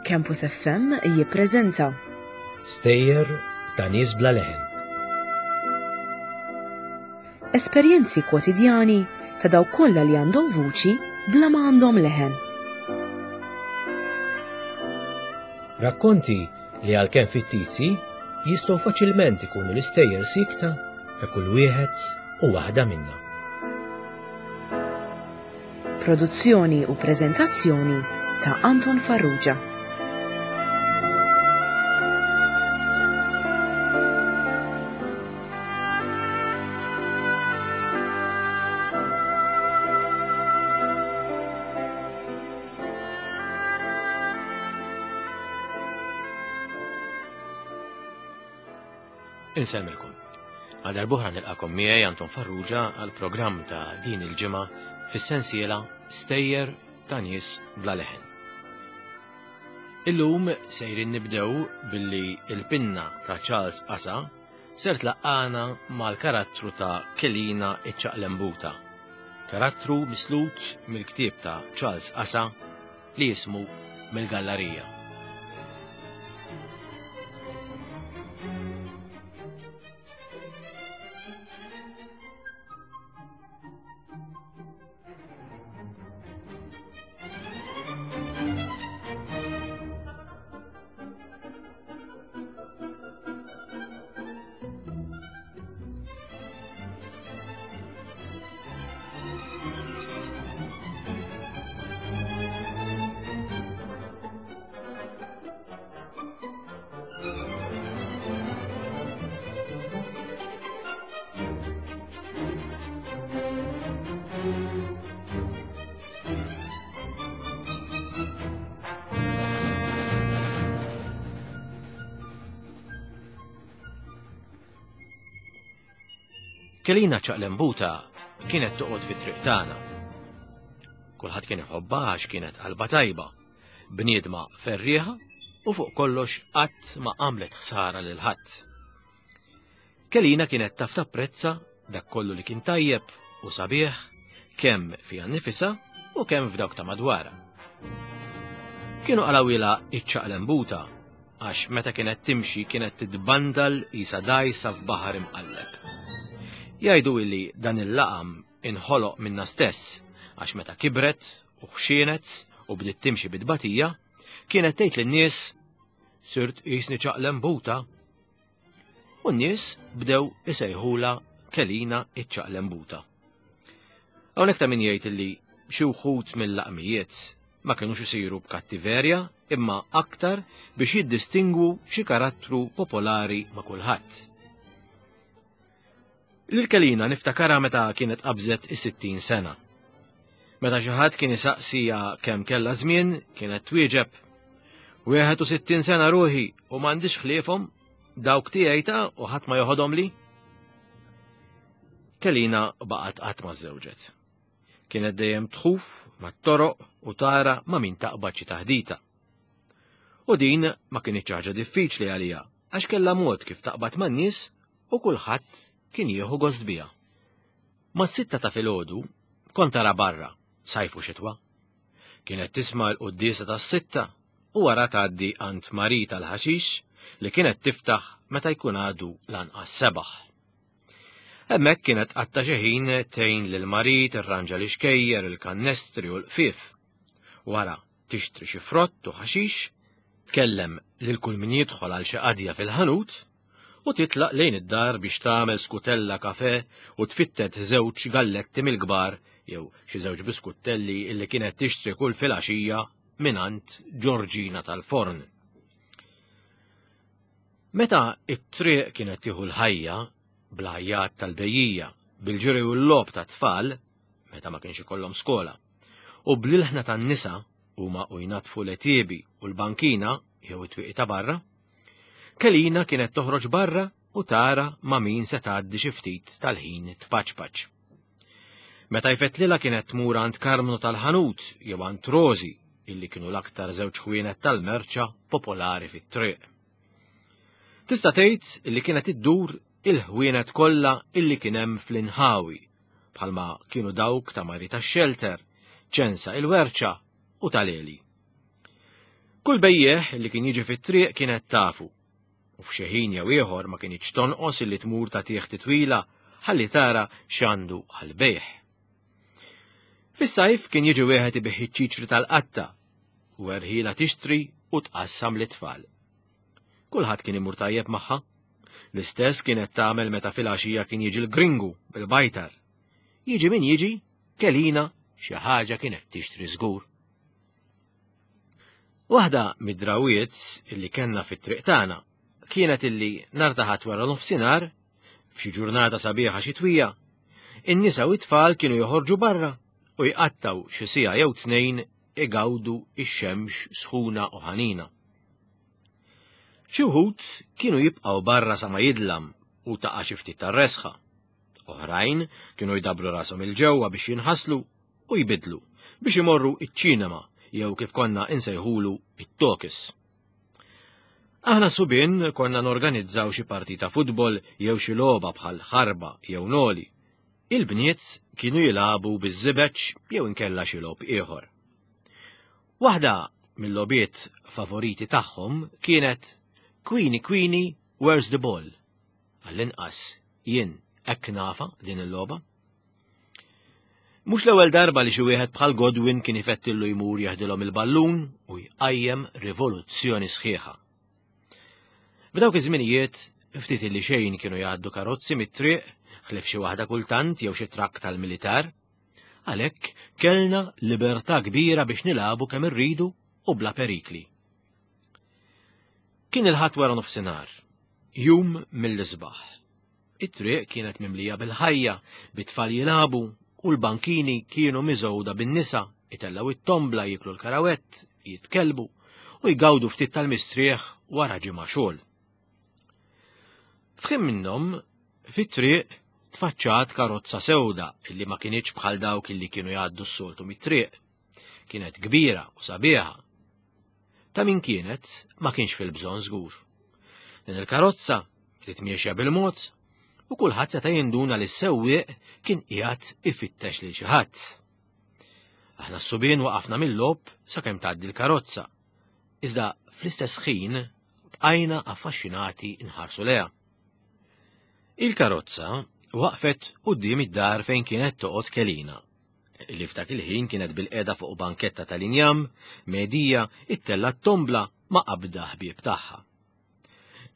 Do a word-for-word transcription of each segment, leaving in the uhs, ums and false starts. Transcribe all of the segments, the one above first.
Campus F M jippreżenta Stejjer ta' nies bla leħen. Esperjenzi kwotidjani ta' dawk kollha li għandhom vuċi bla ma għandhom leħen. Rakkonti li għalkemm fittizji jistgħu faċilment ikunu l-istejjer sikta ta' kull wieħed u waħda minna. Produzzjoni u preżentazzjoni ta' Anton Farrugia. Insellmilkom. Għal darb'oħra nilqakom miegħi Anton Farrugia għal programm ta' din il-ġimgħa fis-sensiela Stejjer ta' nies bla leħen. Illum sejrin nibdew billi il-pinna ta' Charles Asa ser tlaqqana mal-karattru ta' Kelina iċ-Ċaqlembuta, karattru mislut mill-ktieb ta' Charles Asa li jismu Mill-Gallarija. Kelina ċaqlembuta kienet toqgħod fi triq tagħna. Kulħadd kien iħobbha għax kienet qalba tajba, bniedma ferrieħa u fuq kollox qatt ma għamlet ħsara lil ħadd. Kelina kienet taf tapprezza dak kollu li kien tajjeb u sabiħ kemm fiha nnifisha u kemm f'dawk ta' madwarha. Kienu qalawilha iċ-ċaqlembuta għax meta kienet timxi kienet titbandal qisha dgħajsa f'baħar imqalleb. Jgħidu illi dan il-laqam inħoloq minna stess għax meta kibret u ħxienet u bdiet timxi bit-tbatija, kienet tgħid lin-nies sirt qisni ċaqlembuta. U n-nies bdew isejħula Kelina iċ-ċaqlembuta. Hawnhekk ta' min jgħid illi xi wħud mill-laqmijiet ma kinux isiru b'kattiverja imma aktar biex jiddistingwu xi karattru popolari ma' kulħadd. Lil Kelina niftakarha meta kienet qabżet is-sittin sena. Meta xi ħadd kien isaqsija kemm kellha żmien, kienet twieġeb wieħed u sittin sena ruħi u m'għandix ħliefhom, dawk tiegħi ta' u ħadd ma joħodhom li. Kelina baqgħet qatt ma żżewġet. Kienet dejjem tħuf mat-toroq u tara ma' min taqbad xi taħdita. U din ma kinitx ħaġa diffiċli għaliha għax kellha mod kif taqbad man-nies u kulħadd kien jieħu gost biha. Mas-sitta ta' filgħodu kont tara barra, sajf u xitwa. Kienet tisma' l-quddiesa tas-sitta u wara tgħaddi għand Mari tal-ħaxix li kienet tiftaħ meta jkun għadu lanqas sebaħ. Hemmhekk kienet qatta xi ħin tgħin lil Mari tirranġa l-ixkejjer, il-kannestri u l-qfief. Wara tixtri xi frott u ħaxix, tkellem lil kull min jidħol għal xi qadja fil-ħanut u titlaq lejn id-dar biex tagħmel skutella kafe u tfittet żewġ galletti mill-kbar jew xi żewġ biskuttelli illi kienet tixtri kull filgħaxija mingħand Ġorġina tal-forn. Meta it-triq kienet tieħu l-ħajja bl-ħajjat tal-bejjija, bil-ġiri u l-logħob tat-tfal, meta ma kienx ikollhom skola, u bl-ilħna tan-nisa huma u jnatfu l-etiebi u l-bankina jew it-twieqi ta' barra, Kelina kienet toħroġ barra u tara ma' min se tgħaddi xi ftit tal-ħin tpaċpaċ. Meta jfettlilha kienet tmur għand Karmnu tal-ħanut jew għand Rosi, illi kienu l-aktar żewġ ħwienet tal-merċa popolari fit-triq. Tista' tgħid illi kienet iddur il-ħwienet kollha illi kien hemm fl-inħawi, bħalma kienu dawk ta' Mari tax-Xelter, Ċensa il-Werċa u tal-Eli. Kull bejjeħ li kien jiġi fit-triq kienet tafu, u f'xi ħin jew ieħor ma kinitx tonqos illi tmur tagħtih titwila ħalli tara x'għandu għall-bejħ. Fis-sajf kien jiġi wieħed ibigħ iċ-ċiċri tal-qatta u erħila tixtri u tqassam lit-tfal. Kulħadd kien imur tajjeb magħha. L-istess kienet tagħmel meta fil-għaxija kien jiġi l-gringu bil-bajtar. Jiġi min jiġi, Kelina xi ħaġa kienet tixtri żgur. Waħda mid-drawiet illi kellna fit-triq tagħna kienet illi nhar ta' Ħadd wara nofsinhar, f'xi ġurnata sabiħa xitwija, in-nisa u t-tfal kienu joħorġu barra u jqattaw xi siegħa jew tnejn igawdu ix-xemx sħuna u ħanina. Xi wħud kienu jibqgħu barra sa ma jidlam u taqa' xi ftit tar-resħa. Oħrajn kienu jdabru rashom il-ġewwa biex jinħaslu u jbidlu biex imorru iċ-ċinema jew kif konna insejħulu it-talkies. Aħna subien konna norganizzaw xi partita futbol jew xi logħba bħal ħarba jew noli. Il-bniet kienu jilagħbu biż-żibeċ jew inkella xi logħob ieħor. Waħda mill-logħbiet favoriti tagħhom kienet Queenie Queenie, Where's the Ball? Għall-inqas jien hekk nafa din il-logħba. Mhux l-ewwel darba li xi wieħed bħal Godwin kien ifettillu jmur jaħdilhom il-ballun u jqajjem rivoluzzjoni sħiħa. F'dawk iż-żminijiet ftit li xejn kienu jgħaddu karozzi mit-triq, ħlief xi waħda kultant jew xi trakk tal-militar. Għalhekk kellna libertà kbira biex nilagħbu kemm irridu u bla perikli. Kien il-Ħadd wara nofsinhar, jum mill-isbaħ. It-triq kienet mimlija bil-ħajja, bit-tfal jilagħbu u l-bankini kienu miżgħuda bin-nisa, itellgħu it-tombla jiklu l-karawett, jitkellbu u jgawdu ftit tal-mistrieħ wara ġimgħa xogħol. F'ħin minnhom, fit-triq tfaċċat karozza sewda illi ma kinitx bħal dawk illi kienu jgħaddu s-soltu mit-triq. Kienet kbira u sabiħa. Ta' min kienet ma kienx fil-bżonn żgur. Din il-karozza bdiet miexja bil-mod u kulħadd seta' jinduna li s-sewwieq kien qiegħed ifittex lil xi ħadd. Aħna s-subien waqafna mill-logħob sakemm tgħaddi l-karozza. Iżda fl-istess ħin bqajna affaxxinati nħarsu lejha. Il-karozza waqfet quddiem id-dar fejn kienet toqgħod Kelina, li f'dak il-ħin kienet bil-qiegħda fuq banketta tal-injam, medija ittella t-tombla ma' qabda ħbieb tagħha.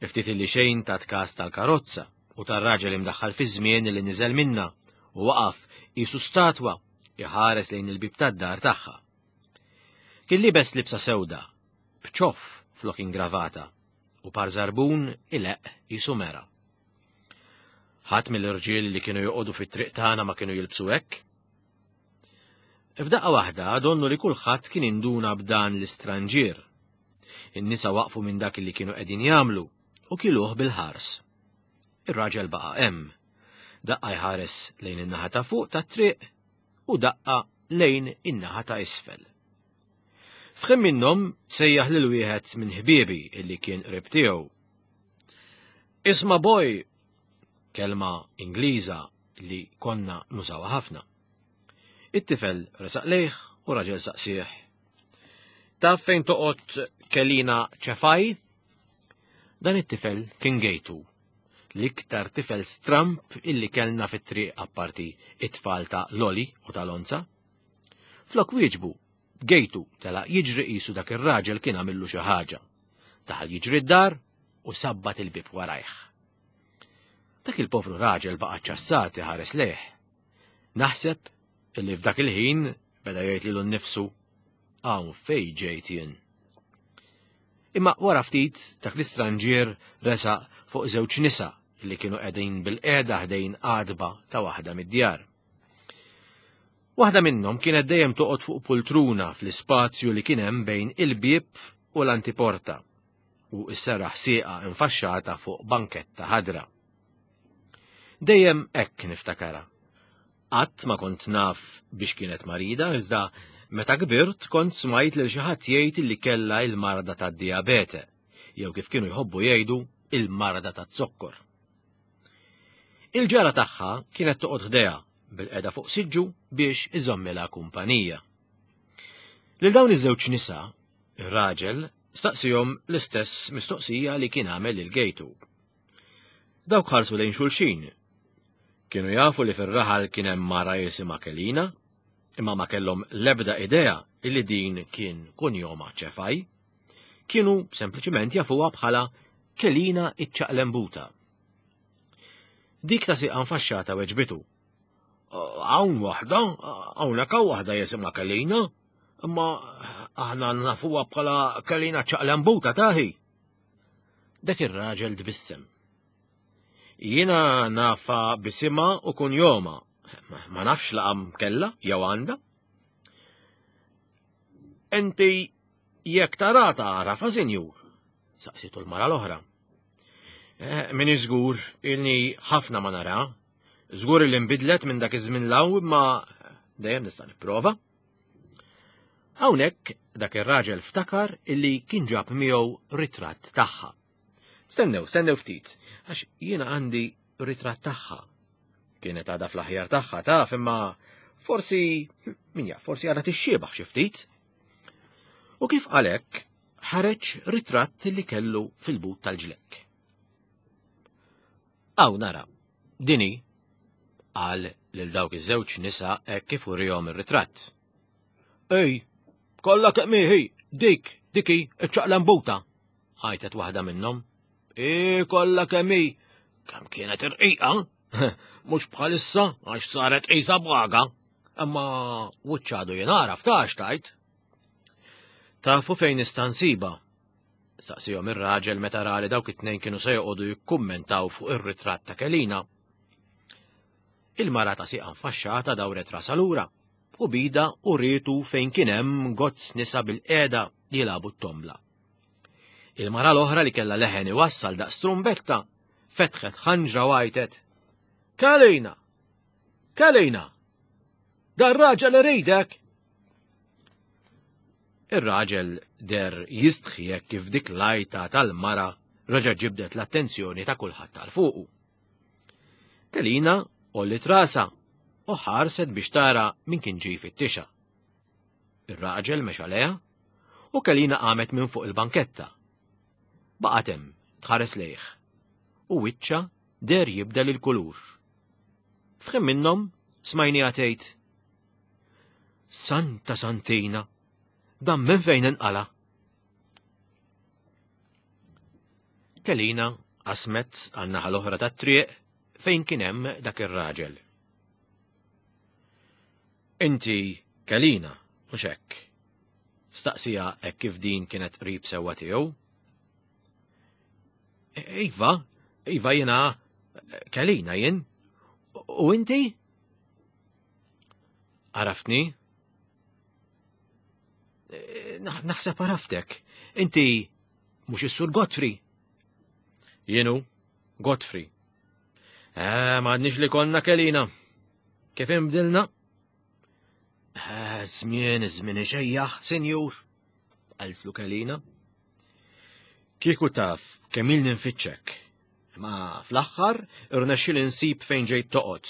Ftit li xejn tat kas tal-karozza u tar-raġel imdaħħal fi żmien li niżel minna u waqaf qisu statwa iħares lejn il-bib tad-dar tagħha. Kien libes libsa sewda, b'ċoff flok ingravata u par żarbun ileqq qisu mera. Ħadd mill-irġiel li kienu joqogħdu fit-triq tagħna ma kienu jilbsu hekk. F'daqqa waħda donnu li kulħadd kien induna b'dan l-istranġier. In-nisa waqfu minn dak li kienu qegħdin jagħmlu u kiluh bil-ħars. Ir-raġel baqa' hemm. Daqqa jħares lejn in-naħa ta' fuq tat-triq u daqqa lejn in-naħa ta' isfel. F'ħin minnhom sejjaħ lil wieħed minn ħbiebi illi kien qrib tiegħu. Isma' boy, kelma Ingliża li konna nużawha ħafna. It-tifel resaq lejh u raġel saqsih. Taf fejn toqgħod Kelina Ċefaj? Dan it-tifel kien Gejtu, l-iktar tifel stramp illi kellna fit-triq apparti it-tfal ta' Loli u ta' Lonza. Flok wieġbu, Gejtu telaq jiġri qisu dak ir-raġel kien għamillu xi ħaġa. Daħal jiġri d-dar u sabbat il-bib warajh. Dak il-povru raġel baqa' ċassat iħares lejh. Naħseb illi f'dak il-ħin beda jgħid lilu nnifsu hawn fejn ġejt jien. Imma wara ftit dak l-istranġier resaq fuq żewġ nisa li kienu qegħdin bil-qiegħda ħdejn għadba ta' waħda mid-djar. Waħda minnhom kienet dejjem toqgħod fuq pultruna fl-ispazju li kien hemm bejn il-bieb u l-antiporta u s-serraħ sieqa infaxxata fuq banketta ħadra. Dejjem hekk niftakara. Qatt ma kont naf biex kienet marida, iżda meta kbirt kont smajt lil xi ħadd jgħid li kellha il-marda tad-dijabete, jew kif kienu jħobbu jgħidu il-marda taz-zokkor. Il-ġara tagħha kienet toqgħod ħdejha bil-qeda fuq siġġu biex iżommilha kumpanija. Lil dawn iż-żewġ nisa Ir-raġel staqsihom l-istess mistoqsija li kien għamel lil Gejtu. Dawk ħarsu lejn xulxin. Kienu jafu li fir-raħal kien hemm mara jisimha Kelina, imma ma kellhom l-ebda idea illi din kien kunjoma Ċefaj. Kienu sempliċiment jafuha bħala Kelina iċ-ċaqlembuta. Dik ta' siqa nfaxxata weġbitu. Hawn waħda, hawnhekk hawn waħda jisimha Kelina, imma aħna nafuha bħala Kelina ċaqlembuta taħi. Dak ir-raġel tbissem. Jiena nafa bisimha u kunjoma, ma nafx laqam kella jew għandha. Inti jekk tara tagħrafha, sinjur, saqsitu l-mara l-oħra. Min żgur ilni ħafna ma nara, żgur li nbidlet minn dak iż-żmien law imma dejjem nista' nipprova. Hawnhekk dak ir-raġel ftakar illi kien ġab miegħu ritratt tagħha. Stennew, stennew ftit, għax jiena għandi ritratt tagħha. Kienet għadha fl-aħjar tagħha taf, imma forsi, min jaf, forsi għadha tixxiebaħ xi ftit. U kif għalhekk ħareġ ritratt li kellu fil-but tal-ġlekk. Aw nara, dini, qal lil dawk iż-żewġ nisa hekk kif urihom ir-ritratt. Ej, kollha kemm hi, dik, diki, iċ-ċaqlambuta, għajtet waħda minnhom. E kollha kemm hi, kemm kienet irqiqa, mhux bħalissa għax saret qisha b'għaga, imma wiċċ għadu jingħaraf tax tajt. Tafu fejn nista' nsibha? Staqsihom ir-raġel meta ra li dawk it-tnejn kienu se joqogħdu jikkummentaw fuq ir-ritratt ta' Kelina. Il-mara ta' siqa nfaxxata dawret rasha lura u bida u rietu fejn kien hemm gozz nisa bil-qiegħda jilagħbu t-tombla. Il-mara l-oħra li kellha leħen iwassal daqs trumbetta fetħet ħanġra u għajtet: Kelina! Kelina! Dar raġel iridek! Ir-raġel der jistħi hekk kif dik l-għajta tal-mara reġa' ġibdet l-attenzjoni ta' kulħadd tal fuqu. Kelina għolliet rasha u ħarset biex tara min kien ġej fittixha. Ir-raġel mexa lejha u Kelina qamet minn fuq il-banketta. Baqgħet hemm tħares lejh u wiċċha der jibdel il-kulur. F'ħin minnhom smajniha tgħid: Santa Santina, dan minn fejn inqala? Kelina qasmet għan-naħa l-oħra tat-triq fejn kien hemm dak ir-raġel. Inti Kelina, mhux hekk? Staqsija hekk kif din kienet qrib sewwa tiegħu. Iva, iva jiena Kelina jien. U inti? Għaraftni? Naħseb għaraftek. Inti mhux is-Sur Godfrey. Jienu, Godfrey. Eh, m'għadniex li konna Kelina. Kif inbdilna? Eh, żmien, żmien ixejjaħ, sinjur, qaltlu Kelina. Kieku taf kemm ilni nfittxek. Ma fl-aħħar irnexxieli nsib fejn ġejt toqgħod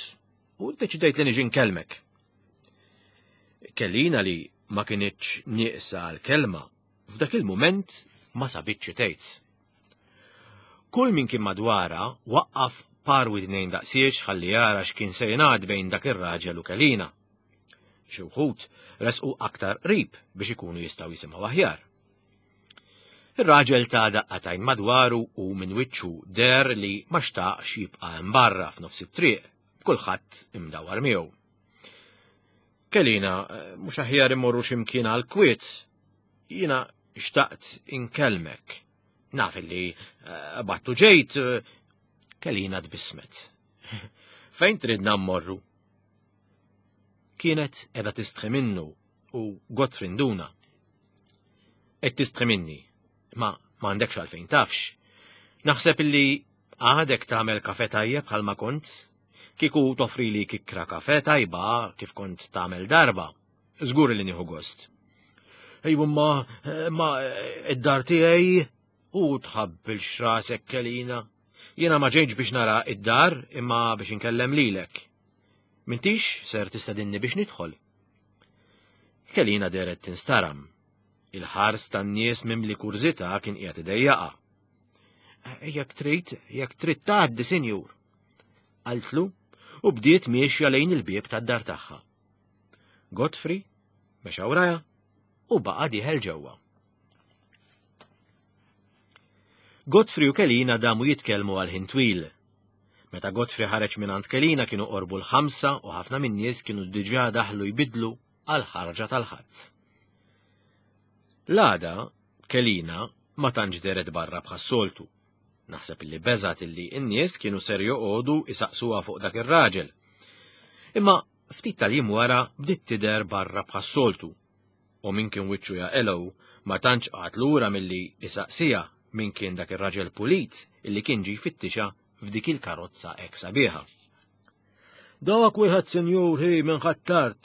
u ddeċidejt li niġi nkellmek. Kelina li ma kinitx nieqsa għall-kelma, f'dak il-mument ma sabitx xi tgħid. Kull min kien madwarha waqqaf par widnejn daqsiex ħalli jara x'kien se jingħad bejn dak ir-raġel u Kelina. Xi wħud resqu aktar qrib biex ikunu jistgħu jisimgħu aħjar. Ir-raġel ta' daqqatajn madwaru u minn wiċċu der li ma xtaqx jibqa' hemm barra f'nofs it-triq, b'kulħadd imdawwar miegħu. Kelina, mhux aħjar immorru x'imkien għal kwiet. Jiena xtaqt inkellmek. Naf illi battu ġejt. Kelina tbissmet. Fejn tridna mmorru? Kienet qiegħda tistħi minnu u Godfrey nduna. Qed tistħi minni, ma m'għandekx għalfejn tafx. Naħseb illi għadek tagħmel kafe tajjeb bħalma kont. Kieku toffri li kikra kafe tajba kif kont tagħmel darba. Żgur li nieħu gost. Ejwa ma, ma id-dar tiegħi u tħabbilx rasek Kelina. Jiena ma ġejtx biex nara id-dar imma biex inkellem lilek. Mintix ser tistedinni biex nidħol. Kelina deret tinstaram. Il-ħars tan-nies mimli kurżità kien qiegħed idejjaqha. Jekk trid, jekk trid tgħaddi, sinjur, qaltlu u bdiet miexja lejn il-bieb tad-dar tagħha. Godfrey mexa wrajha u baqa' dieħel ġewwa. Godfrey u Kelina damu jitkellmu għal ħin twil. Meta Godfrey ħareġ minn għand Kelina kienu qorbu l-ħamsa u ħafna min-nies kienu diġà daħlu jbidlu għal ħarġa tal-Ħadd. L-għada Kelina ma tantx dehret barra bħas-soltu. Naħseb illi beżat illi n-nies kienu ser joqogħdu isaqsuha fuq dak ir-raġel. Imma ftit tal-jiem wara bdiet tidher barra bħas-soltu. U min kien wiċċu jaqelgħu ma tantx qagħad lura milli isaqsiha min kien dak ir-raġel pulit illi kien ġie jfittixa f'dik il-karozza hekk sabiħa. Dak wieħed sinjur hi minn Ħ'Attard.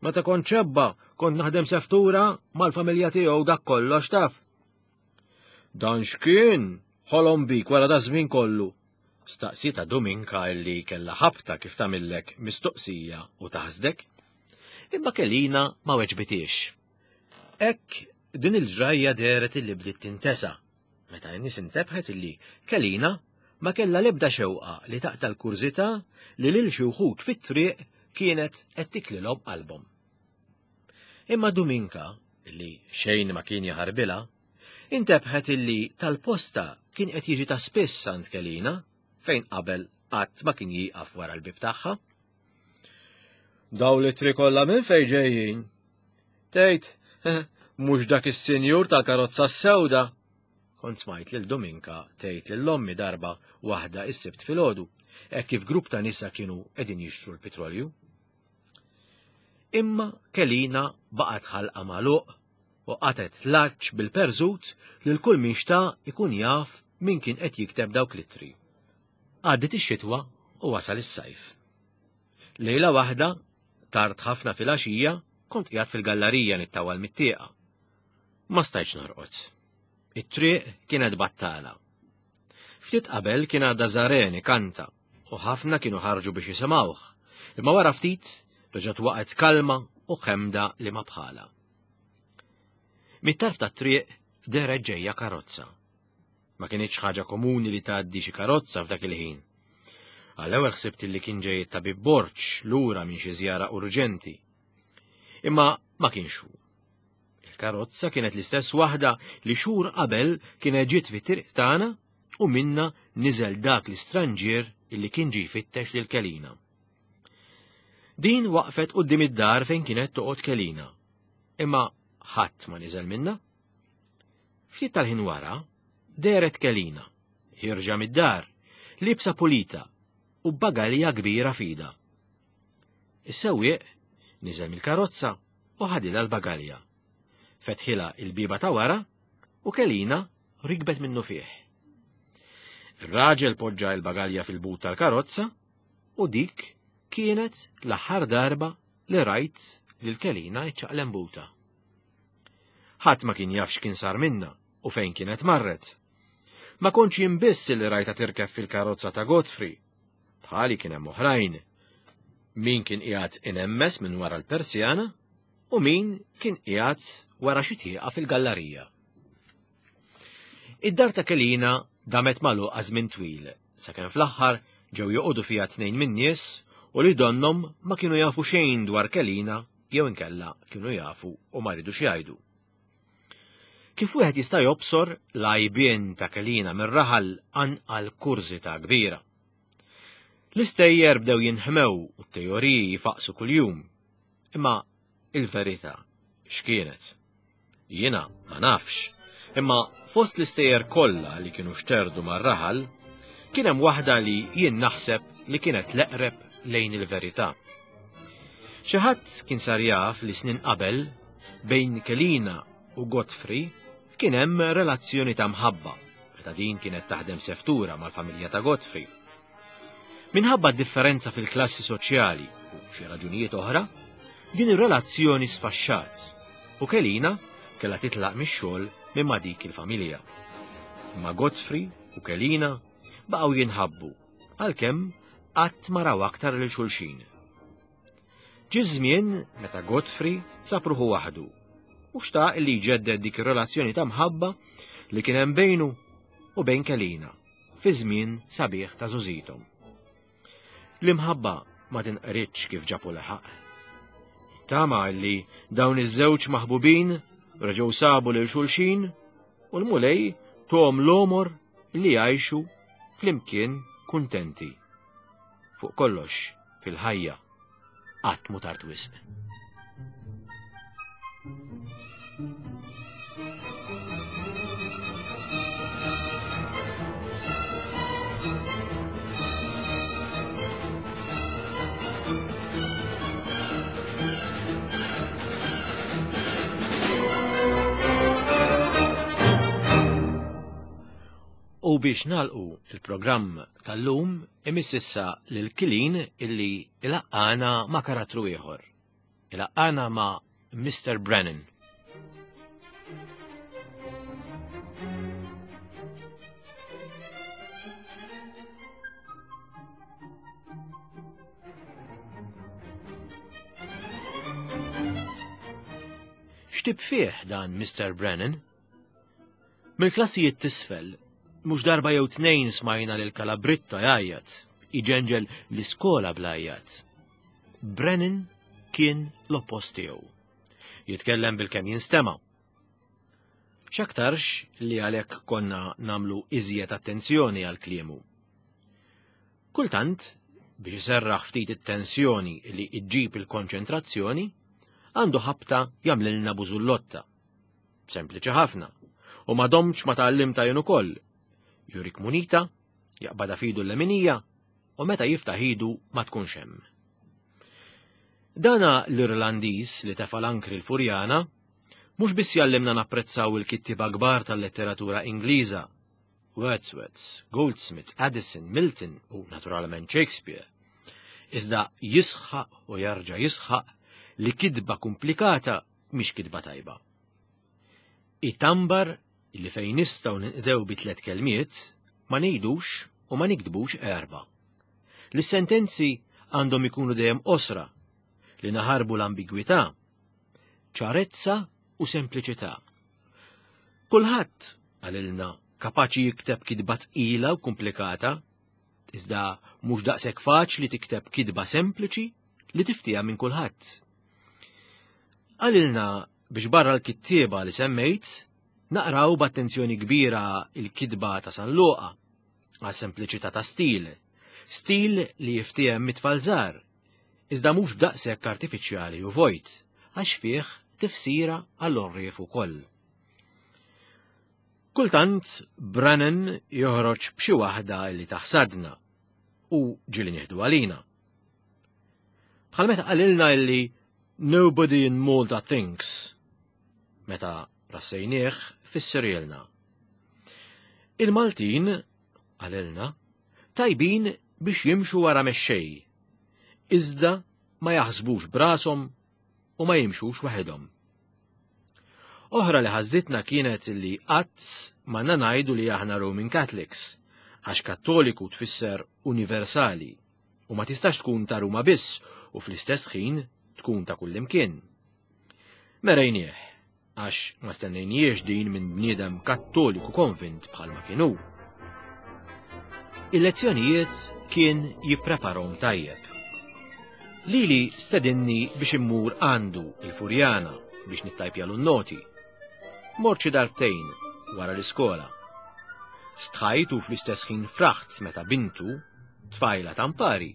Meta kont ċebba kont naħdem seftura mal-familja tiegħu dak kollox taf. Dan x'kien ħolom bik wara da żmien kollu? Staqsita Dominka illi kellha ħabta kif tagħmillek mistoqsija u taħsdek. Imma Kelina ma weġbitiex. Hekk din il-ġrajja dehret illi bdiet tintesa meta n-nies intebħet illi Kelina ma kellha l-ebda xewqa li taqta' l-kurżità li lil xi wħud fit-triq kienet qed tiklilhom qalbhom. Imma Dominka, illi xejn ma kien jaħarbilha, intebħet illi tal-posta kien qed jiġi ta' spiss għand Kelina fejn qabel qatt ma kien jieqaf wara l-bieb tagħha. Daw l-ittri kollha minn fejn ġejjin? Tgħid, mhux dak is-sinjur tal-karozza s-sewda. Kont smajt lil Dominka tgħid lil ommi darba waħda is-Sibt filgħodu, hekk kif grupp ta' nisa kienu qegħdin jixtru l-petrolju. Imma Kelina baqgħet ħalqa magħluq u qatgħet tlaċċ bil-perżut lil kull min xtaq ikun jaf min kien qed jikteb dawk l-ittri. Għaddiet ix-xitwa u wasal is-sajf. Lejla waħda, tard ħafna filgħaxija, kont qiegħed fil-gallarija nittawal mit-tieqa. Ma stajtx norqod. It-triq kienet battala. Ftit qabel kien għadda Żaren ikanta u ħafna kienu ħarġu biex jisimgħuh, imma wara ftit reġgħet waqgħet kalma u ħemda li ma bħala. Mit-tarf tat-triq dehret ġejja karozza. Ma kienitx ħaġa komuni li tgħaddi xi karozza f'dak il-ħin. Għall-ewwel ħsibt li kien ġej it-tabib Borg lura minn xi żjara urġenti. Imma ma kienx hu. Il-karozza kienet l-istess waħda li xhur qabel kienet ġiet fit-triq tagħna u minna niżel dak l-istranġier illi kien ġie jfittex lil Kelina. Din waqfet quddiem id-dar fejn kienet toqgħod Kelina. Imma ħadd ma niżel minna. Ftit tal-ħin wara dehret Kelina, ħierġa mid-dar, libsa pulita u bagalja kbira f'idha. Is-sewwieq niżel mill-karozza u ħadilha l-bagalja. Fetħilha il-bieba ta' wara u Kelina rikbet minnu fih. Ir-raġel poġġa l-bagalja fil-but tal-karozza u dik kienet l-aħħar darba li rajt lil Kelina iċċaqlem buta. Ħadd ma kien jaf x'kien sar minna u fejn kienet marret. Ma kontx jien biss li rajta tirkeb fil-karozza ta' Godfrey. Bħali kien hemm oħrajn. Min kien qiegħed inemmes minn wara l-persjana u min kien qiegħed wara xi tieqa fil-gallarija. Id-dar ta' Kelina damet magħluqa żmien twil, sakemm fl-aħħar ġew joqogħdu fiha tnejn min-nies u li donnhom ma kienu jafu xejn dwar Kelina jew inkella kienu jafu u ma ridux jgħidu. Kif wieħed jista' jobsor l-għajbien ta' Kelina mir-raħal anqal kurżità kbira. L-istejjer bdew jinħmew u t-teoriji jfaqsu kuljum. Imma il-verità x'kienet? Jiena ma nafx, imma fost l-istejjer kollha li kienu xterdu mar-raħal, kien hemm waħda li jien naħseb li kienet l-eqreb lejn il-verità. Xi ħadd kien sar jaf li snin qabel bejn Kelina u Godfrey kien hemm relazzjoni ta' mħabba meta din kienet taħdem seftura mal-familja ta' Godfrey. Minħabba differenza fil-klassi soċjali u xi raġunijiet oħra, din ir-relazzjoni sfaxxat u Kelina kellha titlaq mix-xogħol minn ma' dik il-familja. Ma Godfrey u Kelina baqgħu jinħabbu għalkemm qatt ma raw aktar lil xulxin. Ġie żmien meta Godfrey sab ruħu waħdu U xtaq li jġedded dik ir-relazzjoni ta' mħabba li kien hemm bejnu u bejn Kelina fi żmien sabiħ ta' żgħożithom. L-imħabba ma tinqritx kif ġabu leħaq. Tama li dawn iż-żewġ maħbubin reġgħu sabu lil xulxin u l-Mulej tom l-omor li jgħixu flimkien kuntenti. Fuq kollox fil-ħajja qatt mhu tard wisq. U biex nalqu il-programm tal-lum imiss issa lil Kilin illi ilaqqana ma' karattru ieħor. Ilaqqana ma' Mister Brennan. X'tib fih dan Mister Brennan? Mill-klassijiet tisfel, mhux darba jew tnejn smajna lil Kalabritta jgħajjat, iġenġel l-iskola bl-għajjat. Brennan kien l-oppost tiegħu. Jitkellem bil-kemm jinstema'. X'aktarx li għalhekk konna namlu iżjed attenzjoni għal kliemu. Kultant, biex iserraħ ftit it-tensjoni li iġġib il-konċentrazzjoni, għandu ħabta jagħmlilna bużullotta. Sempliċi ħafna, u ma domx ma tgħallimta jien ukoll. Jurik munita, jaqbada fidu l-leminija, u meta jiftaħ idu ma tkunx hemm. Dana l-Irlandiż li tefa' l-ankri l-Furjana, mhux biss jallimna napprezzaw il-kittieba kbar tal-letteratura Ingliża, Wordsworth, Goldsmith, Addison, Milton u naturalment Shakespeare, iżda jisħaq u jarġa' jisħaq li kitba komplikata mhix kitba tajba. Itambar li fejn nistgħu ninqdew bi tliet kelmiet ma ngħidux u ma nikdbux erba'. Li sentenzi għandhom ikunu dejjem qosra, li naħarbu l-ambigwità, ċarezza u sempliċità. Kulħadd għalilna kapaċi jikteb kitba tqila u komplikata, iżda mhux daqshekk faċli tikteb kitba sempliċi li tiftiha minn kulħadd. Għalilna biex barra l-kittieba li semmejt, naqraw b'attenzjoni kbira il-kitba ta' San Luqa, għas sempliċità ta' stil, stil li jiftiehem mit-tfal żgħar, iżda mhux b'daqshekk artifiċjali u vojt, għax fih tifsira għall-orrief ukoll. Kultant Brennan joħroġ b'xi waħda li taħsadna u ġieli nieħdu għalina. Bħal meta qalilna illi nobody in Malta thinks, meta rassejnieh fissirjelna. Il-Maltin, qalilna, tajbin biex jimxu wara mexxej, iżda ma jaħsbux brashom u ma jimxux waħedhom. Oħra li ħażditna kienet li qatt ma ngħidu li aħna Roman Catholics, għax kattoliku tfisser universali u ma tistax tkun ta' Ruma biss u fl-istess ħin tkun ta' kullimkien. Merejnieh, għax ma stennejniex din minn bniedem kattoliku konvint bħalma kienu. Il-lezzjonijiet kien jippreparhom tajjeb. Lili stedinni biex immur għandu il-Furjana biex nittajpjalu n-noti. Mort xi darbtejn wara l-iskola. Stħajt u fl-istess ħin fraħt meta bintu, tfajla tampari,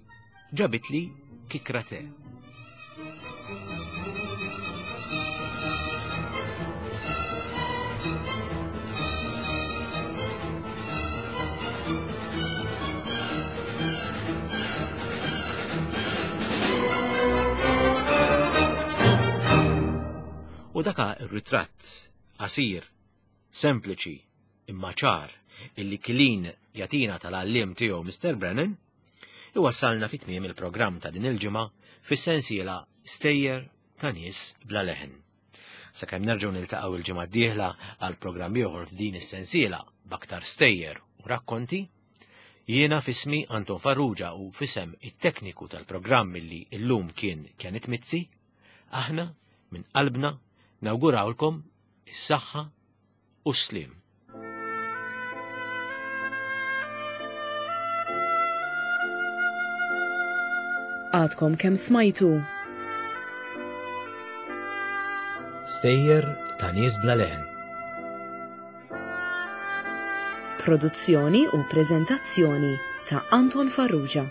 ġabitli kikra te. U daka ir-ritratt qasir, sempliċi, imma ċar, illi Kilin jatina tal-għalliem tiegħu Mister Brennan, iwassalna fi tmiem il-programm ta' din il-ġimgħa fis-sensiela Stejjer ta' nies bla leħen. Sakemm nerġgħu niltaqgħu il-ġimgħa d-dieħla għal programm ieħor f'din is-sensiela b'aktar stejjer u rakkonti, jiena f'ismi Anton Farrugia u f'isem it-tekniku tal-programm illi llum kien Kenneth Mizzi, aħna minn qalbna Nawgurawlkom is-saħħa u s-sliem. Għadkom kemm smajtu Stejjer ta' nies bla leħen. Produzzjoni u preżentazzjoni ta' Anton Farrugia.